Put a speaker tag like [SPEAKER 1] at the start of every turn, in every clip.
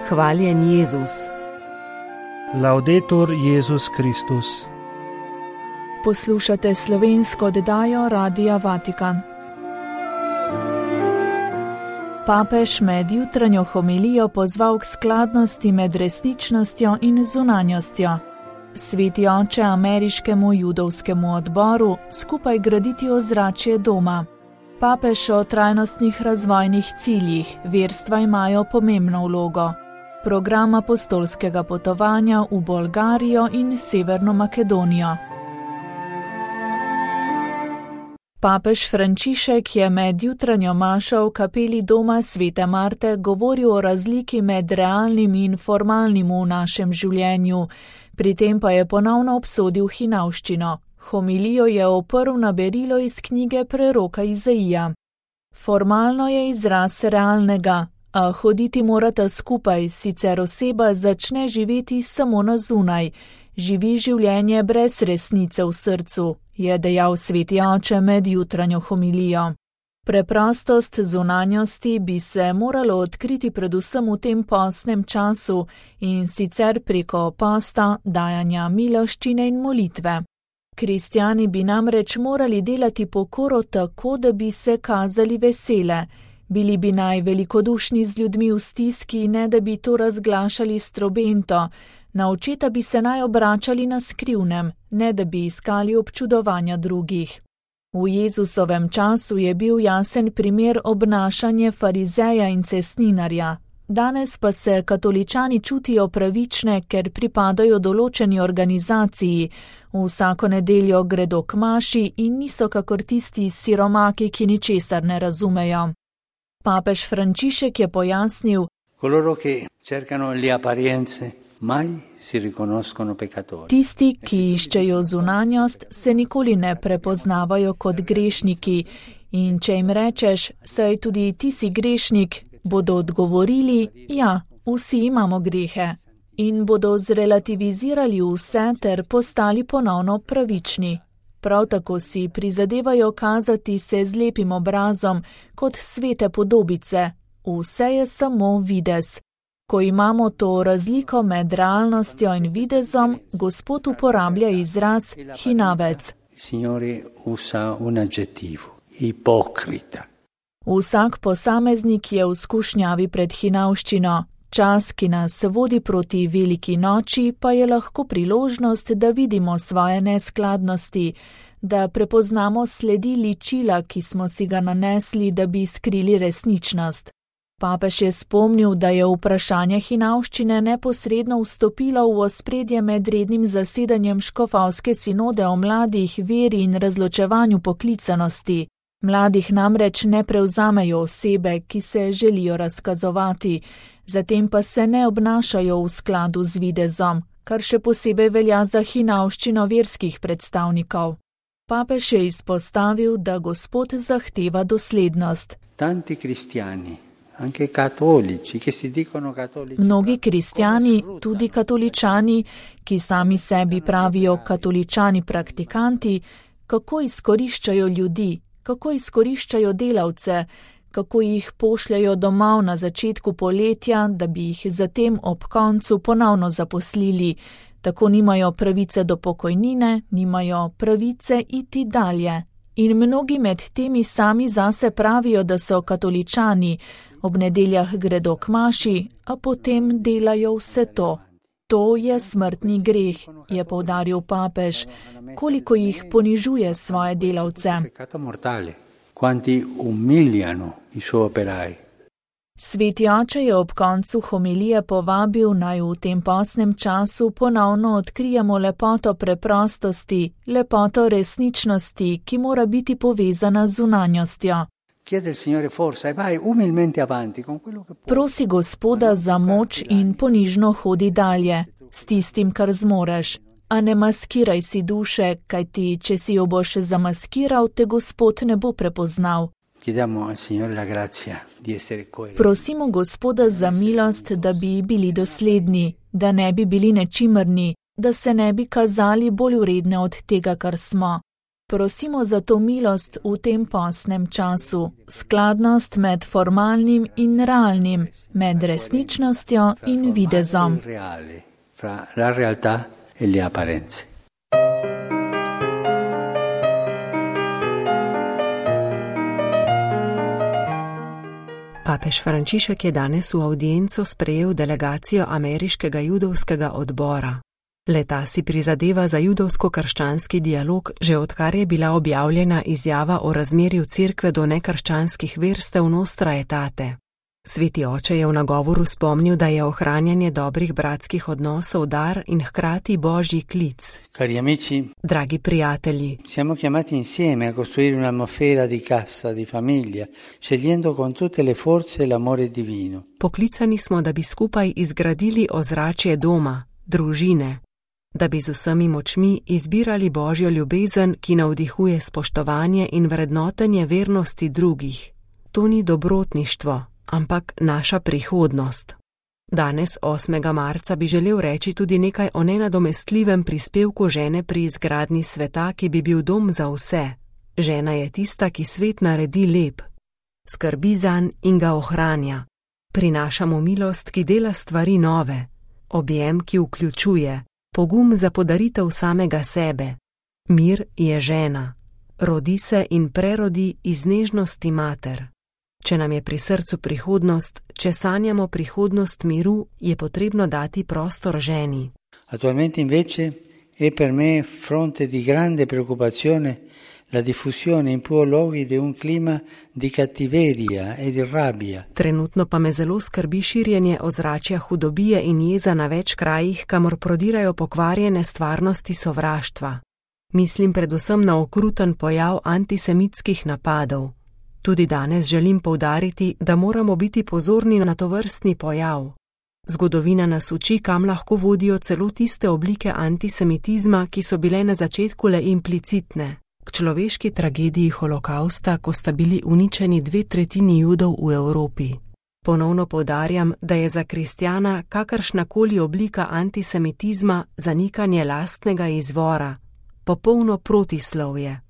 [SPEAKER 1] Hvaljen Jezus.
[SPEAKER 2] Laudetur Jezus Kristus.
[SPEAKER 3] Poslušate slovensko oddajo Radia Vatikan. Papež med jutranjo homilijo pozval k skladnosti med resničnostjo in zunanjostjo. Sveti oče ameriškemu judovskemu odboru skupaj graditi ozračje doma. Papež o trajnostnih razvojnih ciljih verstva imajo pomembno vlogo. Program apostolskega potovanja v Bolgarijo in Severno Makedonijo. Papež Frančišek je med jutranjo mašo v kapeli doma Svete Marte govoril o razliki med realnim in formalnim v našem življenju, pri tem pa je ponovno obsodil hinavščino. Homilijo je oprl na berilo iz knjige preroka Izaija. Formalno je izraz realnega, a hoditi morata skupaj, sicer oseba začne živeti samo na zunaj, živi življenje brez resnice v srcu, je dejal sveti oče med jutranjo homilijo. Preprostost zunanjosti bi se moralo odkriti predvsem v tem postnem času in sicer preko posta, dajanja miloščine in molitve. Kristjani bi namreč morali delati pokoro tako, da bi se kazali vesele. Bili bi naj velikodušni z ljudmi v stiski, ne da bi to razglašali s trobento. Na očeta bi se naj obračali na skrivnem, ne da bi iskali občudovanja drugih. V Jezusovem času je bil jasen primer obnašanje farizeja in cestninarja. Danes pa se katoličani čutijo pravične, ker pripadajo določeni organizaciji, vsako nedeljo gredo k maši in niso kakor tisti siromaki, ki ničesar ne razumejo. Papež Frančišek je pojasnil: Tisti, ki iščejo zunanjost, se nikoli ne prepoznavajo kot grešniki in če jim rečeš, saj tudi ti si grešnik, bodo odgovorili, ja, vsi imamo grehe in bodo zrelativizirali vse ter postali ponovno pravični. Prav tako si prizadevajo kazati se z lepim obrazom kot svete podobice. Vse je samo videz. Ko imamo to razliko med realnostjo in videzom, Gospod uporablja izraz hinavec. Vsak posameznik je v skušnjavi pred hinavščino. Čas, ki nas vodi proti veliki noči, pa je lahko priložnost, da vidimo svoje neskladnosti, da prepoznamo sledi ličila, ki smo si ga nanesli, da bi skrili resničnost. Papež je spomnil, da je vprašanje hinavščine neposredno vstopilo v ospredje med rednim zasedanjem škofovske sinode o mladih, veri in razločevanju poklicanosti. Mladih namreč ne prevzamejo osebe, ki se želijo razkazovati, zatem pa se ne obnašajo v skladu z videzom, kar še posebej velja za hinavščino verskih predstavnikov. Papež je izpostavil, da Gospod zahteva doslednost. Mnogi kristjani, tudi katoličani, ki sami sebi pravijo katoličani praktikanti, kako izkoriščajo ljudi, kako izkoriščajo delavce, kako jih pošljajo domov na začetku poletja, da bi jih zatem ob koncu ponovno zaposlili. Tako nimajo pravice do pokojnine, nimajo pravice iti dalje. In mnogi med temi sami zase pravijo, da so katoličani, ob nedeljah gredo k maši, a potem delajo vse to. To je smrtni greh, je poudaril papež, koliko jih ponižuje svoje delavce. Sveti oče je ob koncu homilije povabil, naj v tem postnem času ponovno odkrijemo lepoto preprostosti, lepoto resničnosti, ki mora biti povezana z zunanjostjo. Prosi Gospoda za moč in ponižno hodi dalje, s tistim, kar zmoreš. A ne maskiraj si duše, kajti če si jo boš zamaskiral, te Gospod ne bo prepoznal. Prosimo Gospoda za milost, da bi bili dosledni, da ne bi bili nečimrni, da se ne bi kazali bolj vredne od tega, kar smo. Prosimo za to milost v tem postnem času, skladnost med formalnim in realnim, med resničnostjo in videzom.
[SPEAKER 1] Papež Frančišek je danes v avdienco sprejel delegacijo ameriškega judovskega odbora. Le-ta si prizadeva za judovsko-krščanski dialog, že odkar je bila objavljena izjava o razmerju cerkve do nekrščanskih verstev Nostra Aetate. Sveti oče je v nagovoru spomnil, da je ohranjanje dobrih bratskih odnosov dar in hkrati božji klic.
[SPEAKER 2] Cari amici,
[SPEAKER 1] dragi prijatelji,
[SPEAKER 2] siamo chiamati insieme a costruire un'atmosfera di casa, di famiglia, scegliendo con tutte le forze l'amore divino.
[SPEAKER 1] Poklicani smo, da bi skupaj izgradili ozračje doma, družine, da bi z vsemi močmi izbirali božjo ljubezen, ki navdihuje spoštovanje in vrednotenje vernosti drugih. To ni dobrotništvo, ampak naša prihodnost. Danes, 8. marca, bi želel reči tudi nekaj o nenadomestljivem prispevku žene pri izgradnji sveta, ki bi bil dom za vse. Žena je tista, ki svet naredi lep, skrbi zanj in ga ohranja. Prinaša mu milost, ki dela stvari nove, objem, ki vključuje, pogum za podaritev samega sebe. Mir je žena, rodi se in prerodi iz nežnosti mater. Če nam je pri srcu prihodnost, če sanjamo prihodnost miru, je potrebno dati prostor ženi.
[SPEAKER 2] Attualmente invece è per me fronte di grande preoccupazione la diffusione in più luoghi di un clima di cattiveria e di rabbia.
[SPEAKER 1] Trenutno pa me zelo skrbi širjenje ozračja hudobije in jeza na več krajih, kamor prodirajo pokvarjene stvarnosti sovraštva. Mislim predvsem na okruten pojav antisemitskih napadov. Tudi danes želim poudariti, da moramo biti pozorni na tovrstni pojav. Zgodovina nas uči, kam lahko vodijo celo tiste oblike antisemitizma, ki so bile na začetku le implicitne. K človeški tragediji holokausta, ko sta bili uničeni 2/3 Judov v Evropi. Ponovno poudarjam, da je za kristjana kakršnakoli oblika antisemitizma zanikanje lastnega izvora, popolno protislovje.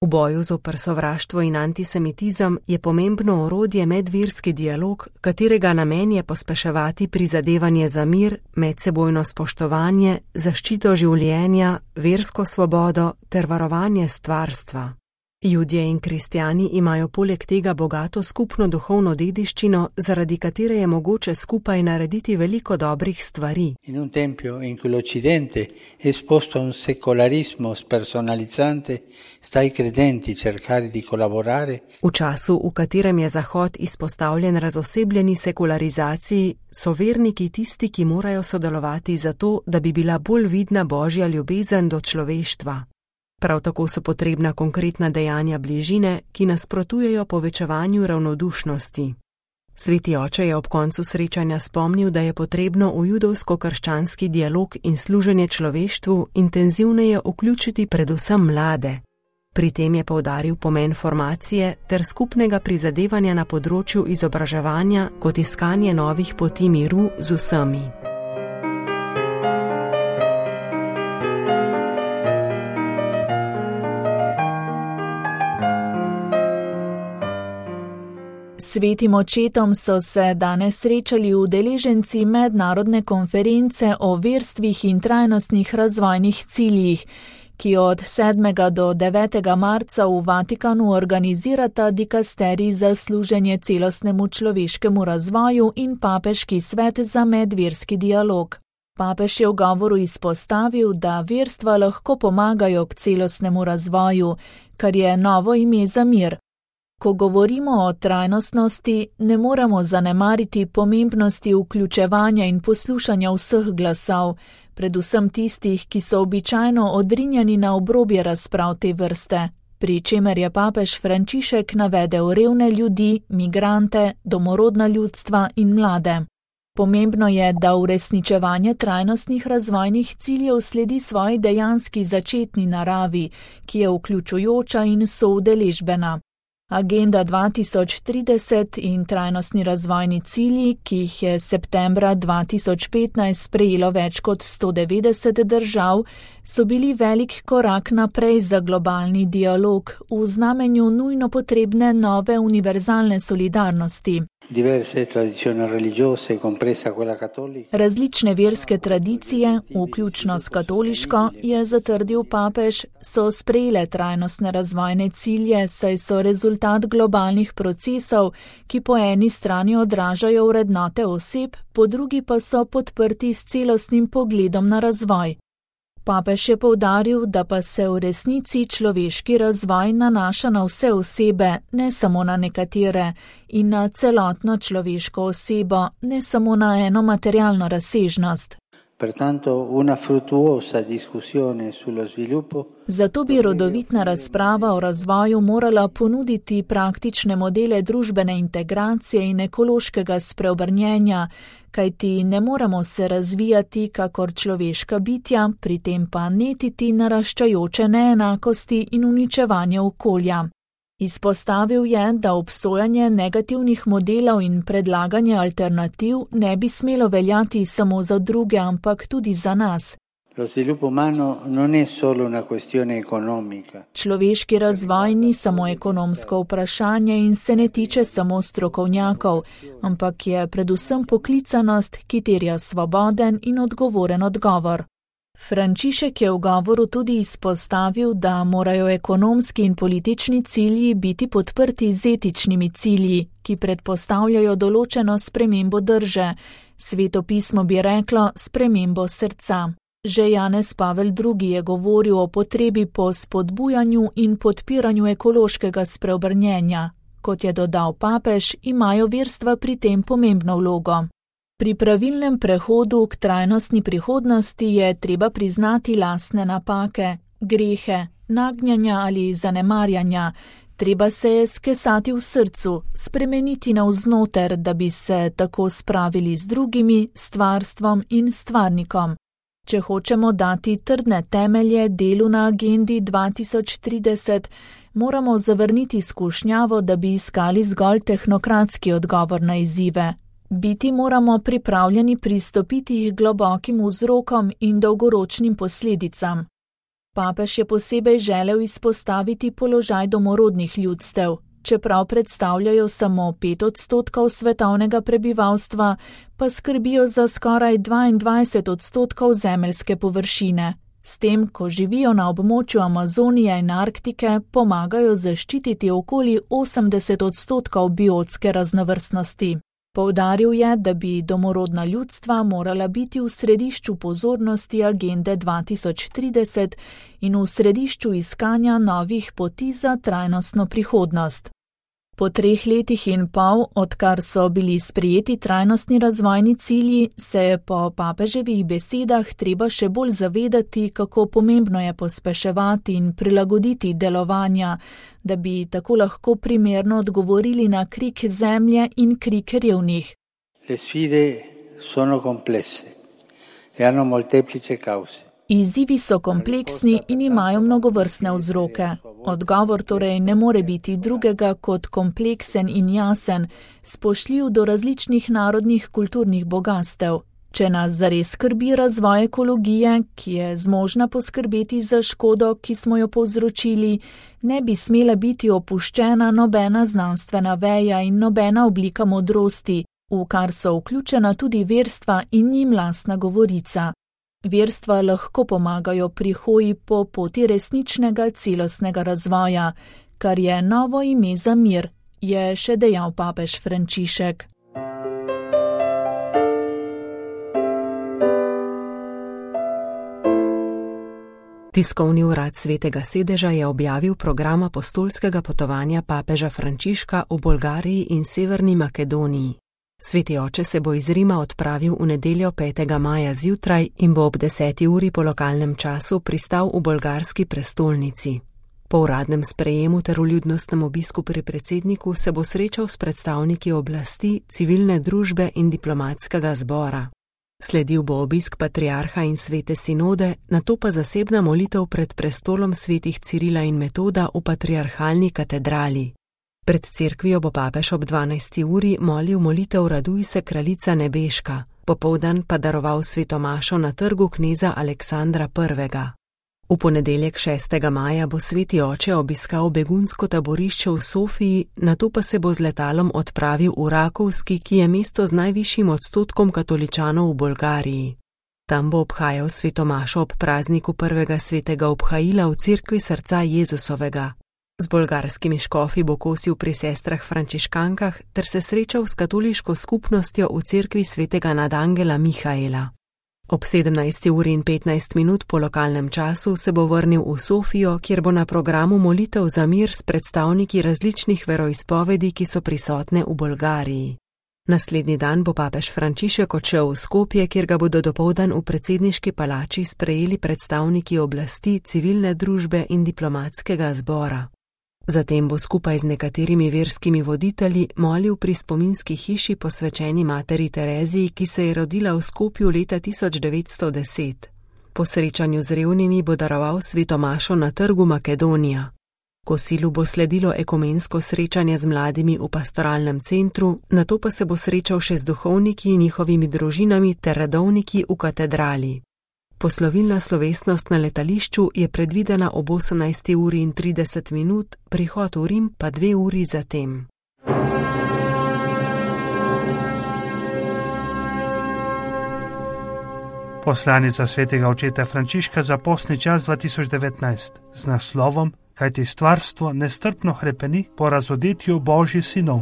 [SPEAKER 1] V boju zoper sovraštvo in antisemitizem je pomembno orodje medverski dialog, katerega namen je pospeševati prizadevanje za mir, medsebojno spoštovanje, zaščito življenja, versko svobodo ter varovanje stvarstva. Judje in kristjani imajo poleg tega bogato skupno duhovno dediščino, zaradi katere je mogoče skupaj narediti veliko dobrih stvari.
[SPEAKER 2] In un tempio in cui l'Occidente è esposto a un secolarismo spersonalizzante, sta ai credenti cercare di collaborare.
[SPEAKER 1] V času, v katerem je Zahod izpostavljen razosebljeni sekularizaciji, so verniki tisti, ki morajo sodelovati zato, da bi bila bolj vidna božja ljubezen do človeštva. Prav tako so potrebna konkretna dejanja bližine, ki nasprotujejo povečevanju ravnodušnosti. Sveti oče je ob koncu srečanja spomnil, da je potrebno v judovsko-krščanski dialog in služenje človeštvu intenzivneje vključiti predvsem mlade. Pri tem je poudaril pomen formacije ter skupnega prizadevanja na področju izobraževanja kot iskanje novih poti miru z vsemi.
[SPEAKER 3] Svetim očetom so se danes srečali udeleženci mednarodne konference o verstvih in trajnostnih razvojnih ciljih, ki od 7. do 9. marca v Vatikanu organizirata dikasterij za služenje celostnemu človeškemu razvoju in papeški svet za medverski dialog. Papež je v govoru izpostavil, da verstva lahko pomagajo k celostnemu razvoju, kar je novo ime za mir. Ko govorimo o trajnostnosti, ne moremo zanemariti pomembnosti vključevanja in poslušanja vseh glasov, predvsem tistih, ki so običajno odrinjeni na obrobje razprav te vrste, pri čemer je papež Frančišek navedel revne ljudi, migrante, domorodna ljudstva in mlade. Pomembno je, da uresničevanje trajnostnih razvojnih ciljev sledi svoji dejanski začetni naravi, ki je vključujoča in soudeležbena. Agenda 2030 in trajnostni razvojni cilji, ki jih je septembra 2015 sprejelo več kot 190 držav, so bili velik korak naprej za globalni dialog v znamenju nujno potrebne nove univerzalne solidarnosti. Različne verske tradicije, vključno s katoliško, je zatrdil papež, so sprejele trajnostne razvojne cilje, saj so rezultat globalnih procesov, ki po eni strani odražajo vrednote oseb, po drugi pa so podprti s celostnim pogledom na razvoj. Papež je poudaril, da pa se v resnici človeški razvoj nanaša na vse osebe, ne samo na nekatere, in na celotno človeško osebo, ne samo na eno materialno razsežnost. Zato bi rodovitna razprava o razvoju morala ponuditi praktične modele družbene integracije in ekološkega spreobrnjenja, kajti ne moremo se razvijati kakor človeška bitja, pri tem pa netiti naraščajoče neenakosti in uničevanje okolja. Izpostavil je, da obsojanje negativnih modelov in predlaganje alternativ ne bi smelo veljati samo za druge, ampak tudi za nas. Človeški razvoj ni samo ekonomsko vprašanje in se ne tiče samo strokovnjakov, ampak je predvsem poklicanost, ki terja svoboden in odgovoren odgovor. Frančišek je v govoru tudi izpostavil, da morajo ekonomski in politični cilji biti podprti z etičnimi cilji, ki predpostavljajo določeno spremembo drže, Sveto pismo bi reklo spremembo srca. Že Janez Pavel II. Je govoril o potrebi po spodbujanju in podpiranju ekološkega spreobrnjenja. Kot je dodal papež, imajo verstva pri tem pomembno vlogo. Pri pravilnem prehodu k trajnostni prihodnosti je treba priznati lastne napake, grehe, nagnjanja ali zanemarjanja. Treba se je skesati v srcu, spremeniti navznoter, da bi se tako spravili z drugimi, stvarstvom in stvarnikom. Če hočemo dati trdne temelje delu na agendi 2030, moramo zavrniti skušnjavo, da bi iskali zgolj tehnokratski odgovor na izzive. Biti moramo pripravljeni pristopiti k globokim vzrokom in dolgoročnim posledicam. Papež je posebej želel izpostaviti položaj domorodnih ljudstev. Čeprav predstavljajo samo 5% svetovnega prebivalstva, pa skrbijo za skoraj 22% zemeljske površine. S tem, ko živijo na območju Amazonije in Arktike, pomagajo zaščititi okoli 80% biotske raznovrstnosti. Poudaril je, da bi domorodna ljudstva morala biti v središču pozornosti agende 2030 in v središču iskanja novih poti za trajnostno prihodnost. Po 3 letih in pol, odkar so bili sprejeti trajnostni razvojni cilji, se je po papeževih besedah treba še bolj zavedati, kako pomembno je pospeševati in prilagoditi delovanja, da bi tako lahko primerno odgovorili na krik zemlje in krik revnih.
[SPEAKER 2] Le sfide sono complesse e hanno molteplici cause.
[SPEAKER 3] Izzivi so kompleksni in imajo mnogovrstne vzroke. Odgovor torej ne more biti drugega kot kompleksen in jasen, spoštljiv do različnih narodnih kulturnih bogastev. Če nas zares skrbi razvoj ekologije, ki je zmožna poskrbeti za škodo, ki smo jo povzročili, ne bi smela biti opuščena nobena znanstvena veja in nobena oblika modrosti, v kar so vključena tudi verstva in njim lastna govorica. Verstva lahko pomagajo pri hoji po poti resničnega celostnega razvoja, kar je novo ime za mir, je še dejal papež Frančišek.
[SPEAKER 1] Tiskovni urad Svetega sedeža je objavil program apostolskega potovanja papeža Frančiška v Bolgariji in Severni Makedoniji. Sveti oče se bo iz Rima odpravil v nedeljo 5. maja zjutraj in bo ob 10. uri po lokalnem času pristal v bolgarski prestolnici. Po uradnem sprejemu ter vljudnostnem obisku pri predsedniku se bo srečal s predstavniki oblasti, civilne družbe in diplomatskega zbora. Sledil bo obisk patriarha in svete sinode, nato pa zasebna molitev pred prestolom svetih Cirila in Metoda v patriarhalni katedrali. Pred cerkvijo bo papež ob 12. uri molil molitev Raduj se kraljica nebeška, popoldan pa daroval svetomašo na trgu kneza Aleksandra I. V ponedeljek 6. maja bo sveti oče obiskal begunsko taborišče v Sofiji, nato pa se bo z letalom odpravil v Rakovski, ki je mesto z najvišjim odstotkom katoličanov v Bolgariji. Tam bo obhajal svetomašo ob prazniku prvega svetega obhajila v cerkvi srca Jezusovega. Z bolgarskimi škofi bo kosil pri sestrah frančiškankah ter se srečal s katoliško skupnostjo v cerkvi svetega nadangela Mihaela. Ob 17:15 po lokalnem času se bo vrnil v Sofijo, kjer bo na programu molitev za mir s predstavniki različnih veroizpovedi, ki so prisotne v Bolgariji. Naslednji dan bo papež Frančišek odšel v Skopje, kjer ga bodo dopoldan v predsedniški palači sprejeli predstavniki oblasti, civilne družbe in diplomatskega zbora. Zatem bo skupaj z nekaterimi verskimi voditelji molil pri spominski hiši posvečeni materi Tereziji, ki se je rodila v Skopju leta 1910. Po srečanju z revnimi bo daroval svetomašo na trgu Makedonija. Kosilu bo sledilo ekumensko srečanje z mladimi v pastoralnem centru, nato pa se bo srečal še z duhovniki in njihovimi družinami ter redovniki v katedrali. Poslovilna slovesnost na letališču je predvidena ob 18:30, prihod v Rim pa 2 uri zatem.
[SPEAKER 4] Poslanica svetega očeta Frančiška za postni čas 2019 z naslovom Kajti stvarstvo nestrpno hrepeni po razodetju Božjih sinov.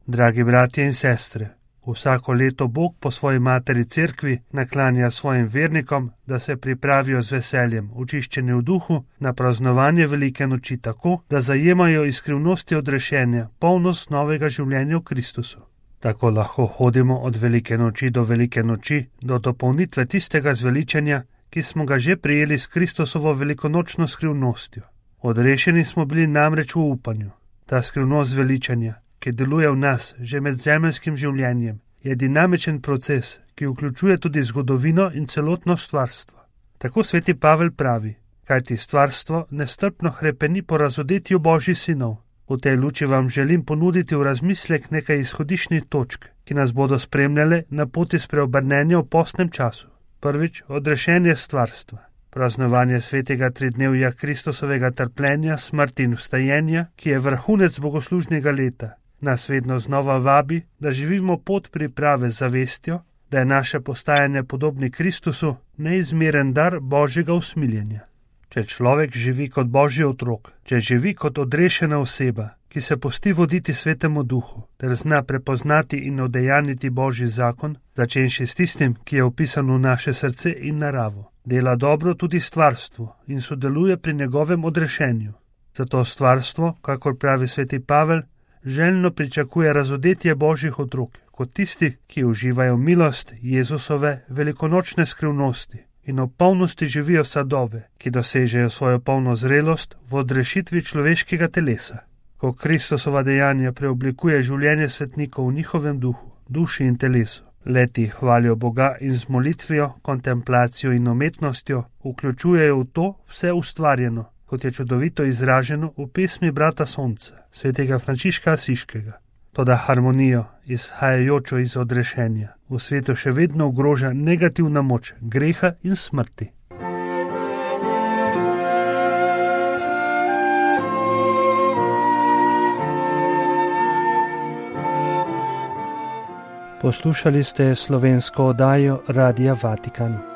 [SPEAKER 4] Dragi bratje in sestre, vsako leto Bog po svoji materi cerkvi naklanja svojim vernikom, da se pripravijo z veseljem, očiščeni v duhu, na praznovanje velike noči tako, da zajemajo iz skrivnosti odrešenja polnost novega življenja v Kristusu. Tako lahko hodimo od velike noči do velike noči, do dopolnitve tistega zveličenja, ki smo ga že prijeli s Kristusovo velikonočno skrivnostjo. Odrešeni smo bili namreč v upanju. Ta skrivnost zveličanja, ki deluje v nas že med zemeljskim življenjem, je dinamičen proces, ki vključuje tudi zgodovino in celotno stvarstvo. Tako sveti Pavel pravi, kajti stvarstvo nestrpno hrepeni po razodetju Božjih sinov. V tej luči vam želim ponuditi v razmislek nekaj izhodiščnih točk, ki nas bodo spremljale na poti spreobrnenja v postnem času. Prvič, odrešenje stvarstva. Praznovanje svetega tridnevja Kristusovega trpljenja, smrti in vstajenja, ki je vrhunec bogoslužnega leta, nas vedno znova vabi, da živimo pot priprave z zavestjo, da je naše postajanje podobni Kristusu neizmeren dar Božjega usmiljenja. Če človek živi kot Božji otrok, če živi kot odrešena oseba, ki se pusti voditi svetemu duhu, ter zna prepoznati in udejaniti Božji zakon, začenši s tistim, ki je vpisan v naše srce in naravo, dela dobro tudi stvarstvu in sodeluje pri njegovem odrešenju. Zato stvarstvo, kakor pravi sveti Pavel, željno pričakuje razodetje Božjih otrok, kot tisti, ki uživajo milost Jezusove velikonočne skrivnosti in v polnosti živijo sadove, ki dosežejo svojo polno zrelost v odrešitvi človeškega telesa. Ko Kristusova dejanja preoblikuje življenje svetnikov v njihovem duhu, duši in telesu, leti hvalijo Boga in z molitvijo, kontemplacijo in umetnostjo vključujejo v to vse ustvarjeno, kot je čudovito izraženo v pesmi brata Sonca, svetega Frančiška Asiškega. Toda harmonijo, izhajajočo iz odrešenja, v svetu še vedno ogroža negativna moč greha in smrti. Poslušali ste slovensko oddajo Radia Vatikan.